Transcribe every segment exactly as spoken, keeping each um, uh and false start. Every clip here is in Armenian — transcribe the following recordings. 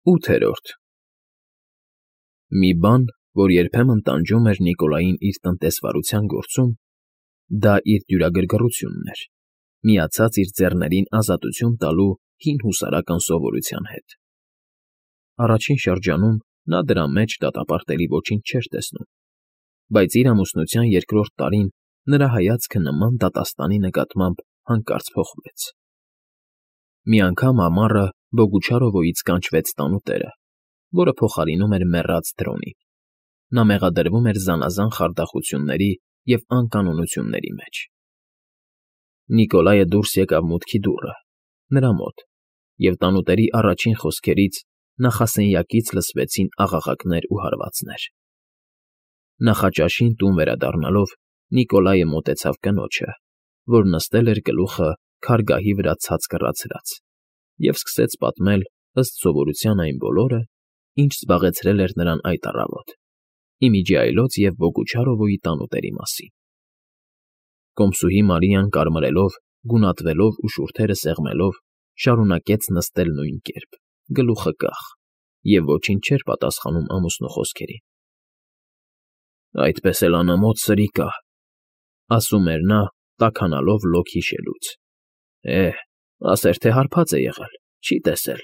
ՈՒԹԵՐՈՐԴ Մի բան, որ երբեմն տանջում էր Նիկոլային իր տնտեսվարության գործում, դա իր դյուրագրգռությունն էր, միացած իր ձեռներին ազատություն տալու հին հուսարական սովորության հետ. առաջին շրջանում նա դրա մեջ դատապարտելի ոչինչ չէր տեսնում, բայց իր ամուսնության երկրորդ տարին նրա հայացքը նման դատաստանի նկատմամբ հանկարծ փոխվեց. Մի անգամ ամառը Բոգուչարովոյից կանչվեց տանուտերը, որը փոխարինում էր մեռած Դրոնին. նա մեղադրվում էր զանազան խարդախությունների և անկանոնությունների մեջ։ Նիկոլայը դուրս եկավ մուտքի դուռը, նրա մոտ, և տանուտերի առաջին խոսքերից նախասենյակից լսվեցին աղաղակներ ու հարվածներ։ Նախաճաշին տուն վերադառնալով Նիկոլայը մոտեցավ կնոջը, որ նստել էր գլուխը քարգահի վրա ցած կռացրած, և սկսեց պատմել ըստ սովորության այն բոլորը, ինչ զբաղեցրել էր նրան այդ առավոտ, ի միջի այլոց և Բոգուչարովոյի տանուտերի մասին։ Կոմսուհի Մարիան կարմրելով, գունատվելով ու շուրթերը սեղմելով շարունակեց նստել նույն կերպ, գլուխը կախ, և ոչինչ չէր պատասխանում ամուսնու խոսքերին։ «Այդպես էլ անամոթ սրի կա,֊ ասում էր նա, տաքանալով լոկ հիշելուց,֊ է՜, ասեր թե հարբած է եղել, չի տեսել»։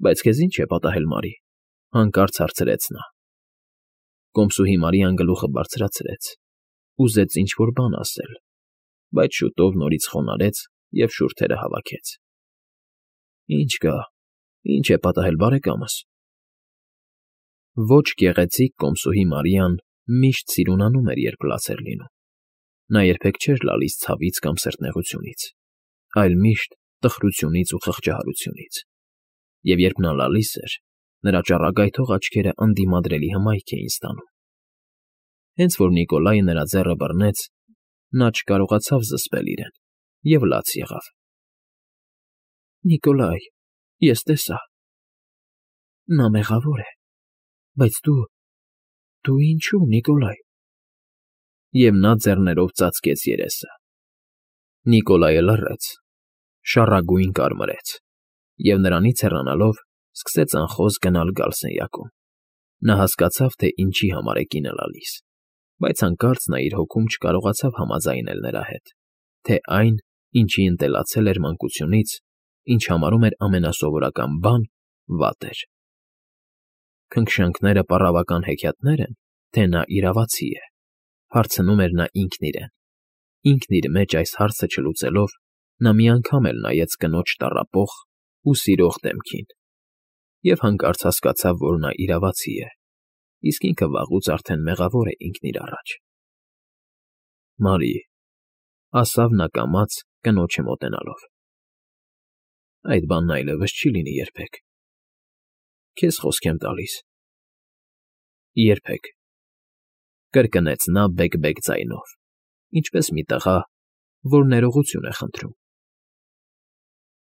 «Բայց քեզ ի՞նչ է պատահել, Մարի,֊ հանկարծ հարցրեց նա։ Կոմսուհի Մարիան գլուխը բարձրացրեց, ուզեց ինչ֊որ բան ասել, բայց շուտով նորից խոնարհեց և շուրթերը հավաքեց։ «Ի՞նչ կա, ի՞նչ է պատահել, բարեկամս»։ Ոչ գեղեցիկ կոմսուհի Մարիան միշտ սիրունանում էր, երբ լաց էր լինում. նա երբեք չէր լալիս ցավից կամ սրտնեղությունից, այլ միշտ տխրությունից ու խղճահարությունից, և երբ նա լալիս էր, նրա ճառագայթող աչքերը ընդդիմադրելի հմայք էին ստանում։ Հենց որ Նիկոլայը նրա ձեռը բռնեց, նա չկարողացավ զսպել իրեն և լաց եղավ։ «Նիկոլայ, ես տեսա… նա մեղավոր է, բայց դու… դու ինչո՞ւ, Նիկոլայ…»։ Եվ նա ձեռներով ծածկեց երեսը։ Նիկոլայը լռեց, շառագույն կարմրեց և, նրանից հեռանալով, սկսեց անխոզ գնալ֊գալ սենյակում։ Նա հասկացավ, թե ինչի համար է կինը լալիս, բայց հանկարծ նա իր հոգում չկարողացավ համաձայնել նրա հետ, թե այն, ինչի ընտելացել էր մանկությունից, ինչ համարում էր ամենասովորական բան, վատ էր։ «Քնքշանքները պառավական հեքիաթնե՞ր են, թե նա իրավացի է,֊ հարցնում էր նա ինքն իրեն։ Ինքն իր մեջ այս հարցը չլուծելով՝ նա մի անգամ էլ նայեց կնոջ տառապող ու սիրող դեմքին և հանկարծ հասկացավ, որ նա իրավացի է, իսկ ինքը վաղուց արդեն մեղավոր է ինքն իր առաջ։ «Մարի…֊ ասավ նա կամաց, կնոջը մոտենալով,֊ այդ բանն այլևս չի լինի երբեք… քեզ խոսք եմ տալիս…»։ «Երբեք…֊ կրկնեց նա բեկ֊բեկ ձայնով, ինչպես մի տղա, որ ներողություն է խնդրում։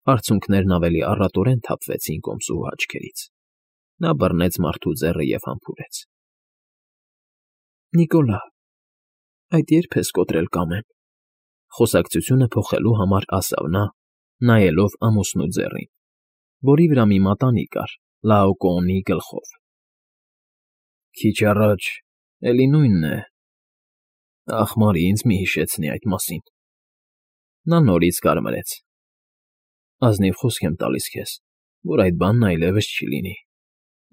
Արցունքներն ավելի առատորեն թափվեցին կոմսուհու աչքերից։ Նա բռնեց մարդու ձեռը և համբուրեց։ «Նիկոլա, այդ ե՞րբ ես կոտրել կամեն…»։ Խոսակցությունը փոխելու համար ասավ նա, նայելով ամուսնու ձեռին, որի վրա մի մատանի կար Լաոկոոնի գլխով։ «Քիչ առաջ էլի նույնն է… Ախ, Մարի, ինձ մի հիշեցնի այդ մասին…»։ Նա նորից կարմրեց։ «Ազնիվ խոսք եմ տալիս քեզ, որ այդ բանն այլևս չի լինի,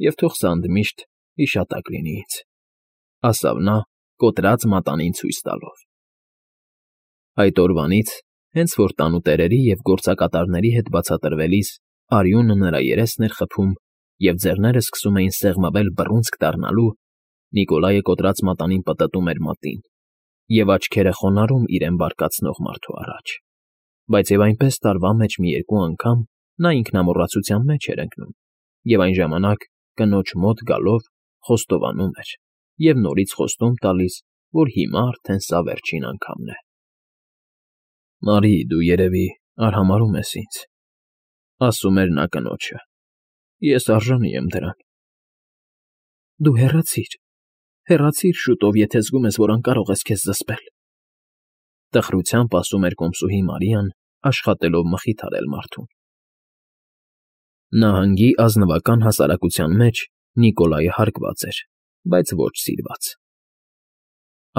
և թող սա ընդմիշտ հիշատակ լինի ինձ,֊ ասավ նա, կոտրած մատանին ցույց տալով։ Այդ օրվանից, հենց որ տանուտերերի և գործակատարների հետ բացատրվելիս արյունը նրա երեսն էր խփում և ձեռները սկսում էին սեղմվել բռունցք դառնալու, Նիկոլայը կոտրած մատանին պտտում էր մատին և աչքերը խոնարհում իրեն բարկացնող մարդու առաջ, բայց և այնպես տարվա մեջ մի երկու անգամ նա ինքնամոռացության մեջ էր ընկնում և այն ժամանակ, կնոջ մոտ գալով, խոստովանում էր և նորից խոստում տալիս, որ հիմա արդեն սա վերջին անգամն է։ «Մարի, դու, երևի, արհամարհում ես ինձ,֊ ասում էր նա կնոջը,֊ ես արժանի եմ դրան…»։ «Դու հեռացիր, հեռացիր շուտով, եթե զգում ես, որ անկարող ես քեզ զսպել…»։ Տխրությամբ ասում էր կոմսուհի Մարիան, աշխատելով մխիթարել մարդուն։ Նահանգի ազնվական հասարակության մեջ Նիկոլայը հարգված էր, բայց ոչ սիրված.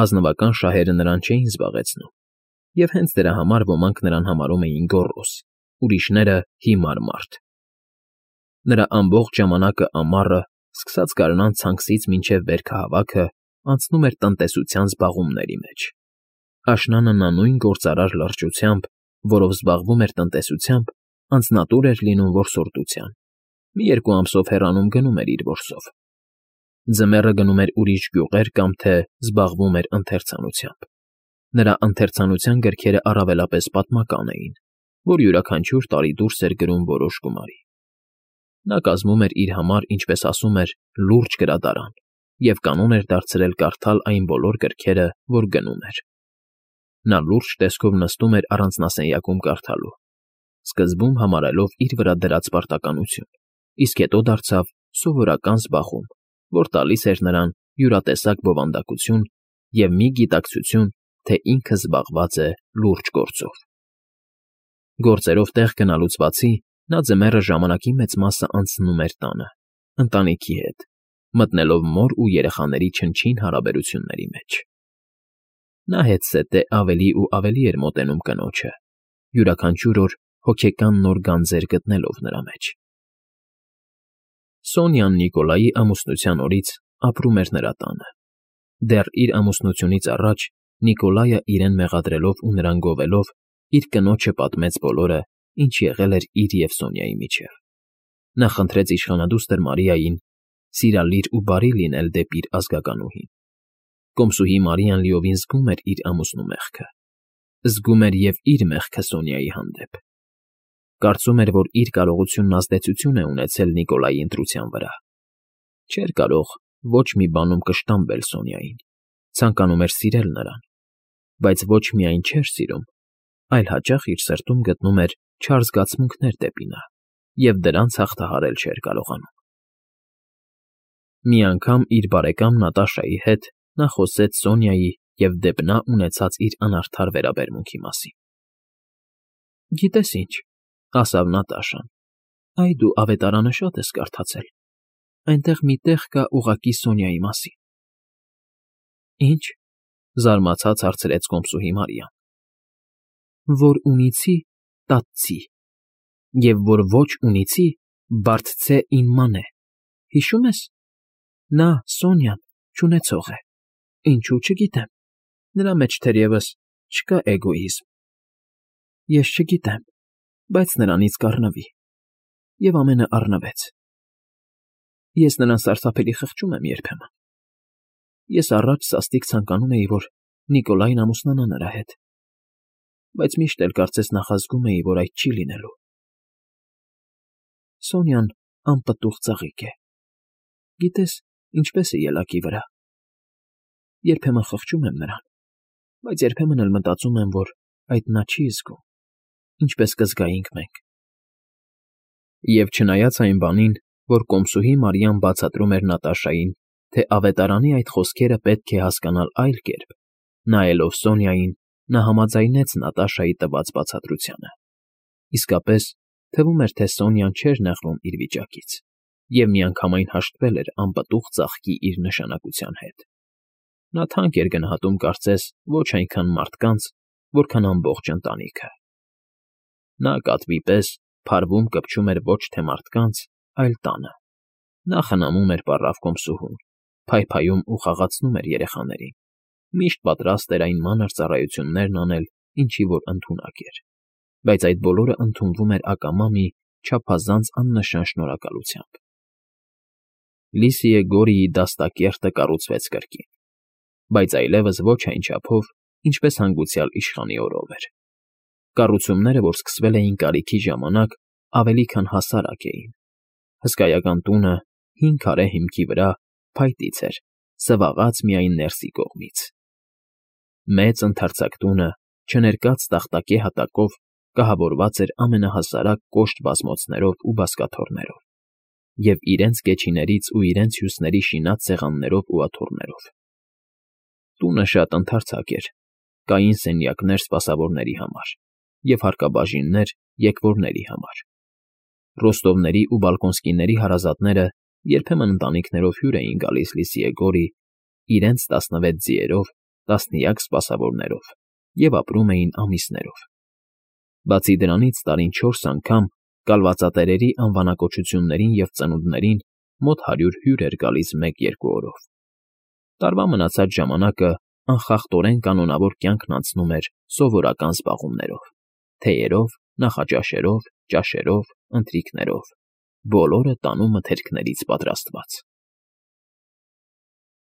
ազնվական շահերը նրան չէին զբաղեցնում, և հենց դրա համար ոմանք նրան համարում էին գոռոզ, ուրիշները՝ հիմար մարդ. նրա ամբողջ ժամանակը ամառը, սկսած գարնան ցանքսից մինչև վերքահավաքը, անցնում էր տնտեսության զբաղումների մեջ. աշնանը նա նույն գործարար լրջությամբ, որով զբաղվում էր տնտեսությամբ, անձնատուր էր լինում որսորդության, մի երկու ամսով հեռանում գնում էր իր որսով, ձմեռը գնում էր ուրիշ գյուղեր կամ թե զբաղվում էր ընթերցանությամբ. նրա ընթերցանության գրքերը առավելապես պատմական էին, որ յուրաքանչյուր տարի դուրս էր գրում որոշ գումարի. նա կազմում էր իր համար, ինչպես ասում էր, լուրջ գրադարան և կանոն էր դարձրել կարդալ այն բոլոր գրքերը, որ գնում էր. նա լուրջ տեսքով նստում էր առանձնասենյակում կարդալու, սկզբում համարելով իր վրա դրած պարտականություն, իսկ հետո դարձավ սովորական զբաղում, որ տալիս էր նրան յուրատեսակ բովանդակություն և մի գիտակցություն, թե ինքը զբաղված է լուրջ գործով։ Գործերով տեղ գնալուց բացի, նա ձմեռը ժամանակի մեծ մասը անցնում էր տանը, ընտանիքի հետ, մտնելով մոր ու երեխաների չնչին հարաբերությունների մեջ։ Նա հետզհետե ավելի ու ավելի էր մոտենում կնոջը, յուրաքանչյուր օր հոգեկան նոր գանձեր գտնելով նրա մեջ։ Սոնյան Նիկոլայի ամուսնության օրից ապրում էր նրա տանը։ Դեռ իր ամուսնությունից առաջ Նիկոլայը իրեն մեղադրելով ու նրան գովելով, իր կնոջը պատմեց բոլորը, ինչ եղել էր իր և Սոնյայի միջև։ Նա խնդրեց իշխանադուստր Մարիային սիրալիր ու բարի լինել դեպի իր ազգականուհին։ Կոմսուհի Մարիան լիովին զգում էր իր ամուսնու մեղքը, զգում էր և իր մեղքը Սոնյայի հանդեպ։ Կարծում էր, որ իր կարողությունն ազդեցություն է ունեցել Նիկոլայի ընտրության վրա։ Չէր կարող ոչ մի բանում կշտամբել Սոնյային, ցանկանում էր սիրել նրան, բայց ոչ միայն չէր սիրում, այլ հաճախ իր սրտում գտնում էր չար զգացմունքներ դեպի նա և դրանց հաղթահարել չէր կարողանում։ Մի անգամ իր բարեկամ Նատաշայի հետ նա խոսեց Սոնյայի և դեպ նա ունեցած իր անարդար վերաբերմունքի մասին։ ֊ Գիտես ինչ,֊ ասավ Նատաշան,֊ այ դու ավետարանը շատ ես կարդացել, այնտեղ մի տեղ կա ուղղակի Սոնյայի մասին։ ֊ Ի՞նչ,֊ զարմացած հարցրեց կոմսուհի Մարիան։ ֊ Որ ունիցի տատցի, և որ ոչ ունիցի բարձցե ինմանե, հիշո՞ւմ ես. նա, Սոնյան, չունեցող է, ինչու՝ չգիտեմ, նրա մեջ թերևս չկա էգոիզմ։ Ես չգիտեմ, բայց նրանից կառնվի, և ամենը առնվեց։ Ես նրան սարսափելի խղճում եմ երբեմն։ Ես առաջ սաստիկ ցանկանում էի, որ Նիկոլային ամուսնանա նրա հետ, բայց միշտ էլ կարծես նախազգում էի, որ այդ չի լինելու։ Սոնյան անպտուղ ծաղիկ է, գիտես, ինչպես է ելակի վրա։ Երբեմն խղճում եմ նրան, բայց երբեմն էլ մտածում եմ, որ այդ նա չի զգում, ինչպես կզգայինք մենք։ Եվ չնայած այն բանին, որ կոմսուհի Մարիան բացատրում էր Նատաշային, թե ավետարանի այդ խոսքերը պետք է հասկանալ այլ կերպ, նայելով Սոնյային, նա համաձայնեց Նատաշայի տված բացատրությանը։ Իսկապես, թվում էր, թե Սոնյան չէր նեղվում իր վիճակից և միանգամայն հաշտվել էր անպտուղ ծաղկի իր նշանակության հետ։ Նա թանկ էր գնահատում կարծես ոչ այնքան մարդկանց, որքան ամբողջ ընտանիքը։ Նա կատվի պես փարվում կպչում էր ոչ թե մարդկանց, այլ տանը։ Նա խնամում էր պառավ կոմսուհուն, փայփայում ու խաղացնում էր երեխաներին, միշտ պատրաստ էր այն մանր ծառայություններն անել, ինչի որ ընդունակ էր, բայց այդ բոլորը ընդունվում էր ակամա մի չափազանց աննշան շնորհակալությամբ։ Լիսիե Գորիի դաստակերտը կառուցվեց կրկին, բայց այլևս ոչ այն չափով, ինչպես հանգուցյալ իշխանի օրով էր։ Կառուցումները, որ սկսվել էին կարիքի ժամանակ, ավելի քան հասարակ էին։ Հսկայական տունը, հին քարե հիմքի վրա, փայտից էր, սվաղած միայն ներսի կողմից։ Մեծ ընդարձակ տունը, չներկած տախտակե հատակով, կահավորված էր ամենահասարակ կոշտ բազմոցներով ու բազկաթոռներով և իրենց կեչիներից ու իրենց հյուսների շինած սեղաններով ու աթոռներով։ Տունը շատ ընդարձակ էր, կային սենյակներ սպասավորների համար և հարկաբաժիններ եկվորների համար։ Ռոստովների ու Բալկոնսկիների հարազատները երբեմն ընտանիքներով հյուր էին գալիս Լիսիեգորի, իրենց տասնվեց ձիերով, տասնյակ սպասավորներով և ապրում էին ամիսներով. բացի դրանից տարին չորս անգամ կալվածատերերի անվանակոչություններին և ծնունդներին մոտ հարյուր հյուր էր գալիս մեկ֊երկու օրով։ Տարվա մնացած ժամանակը անխախտորեն կանոնավոր կյանքն անցնում էր սովորական զբաղումներով՝ թեյերով, նախաճաշերով, ճաշերով, ընթրիքներով, բոլորը տանու մթերքներից պատրաստված։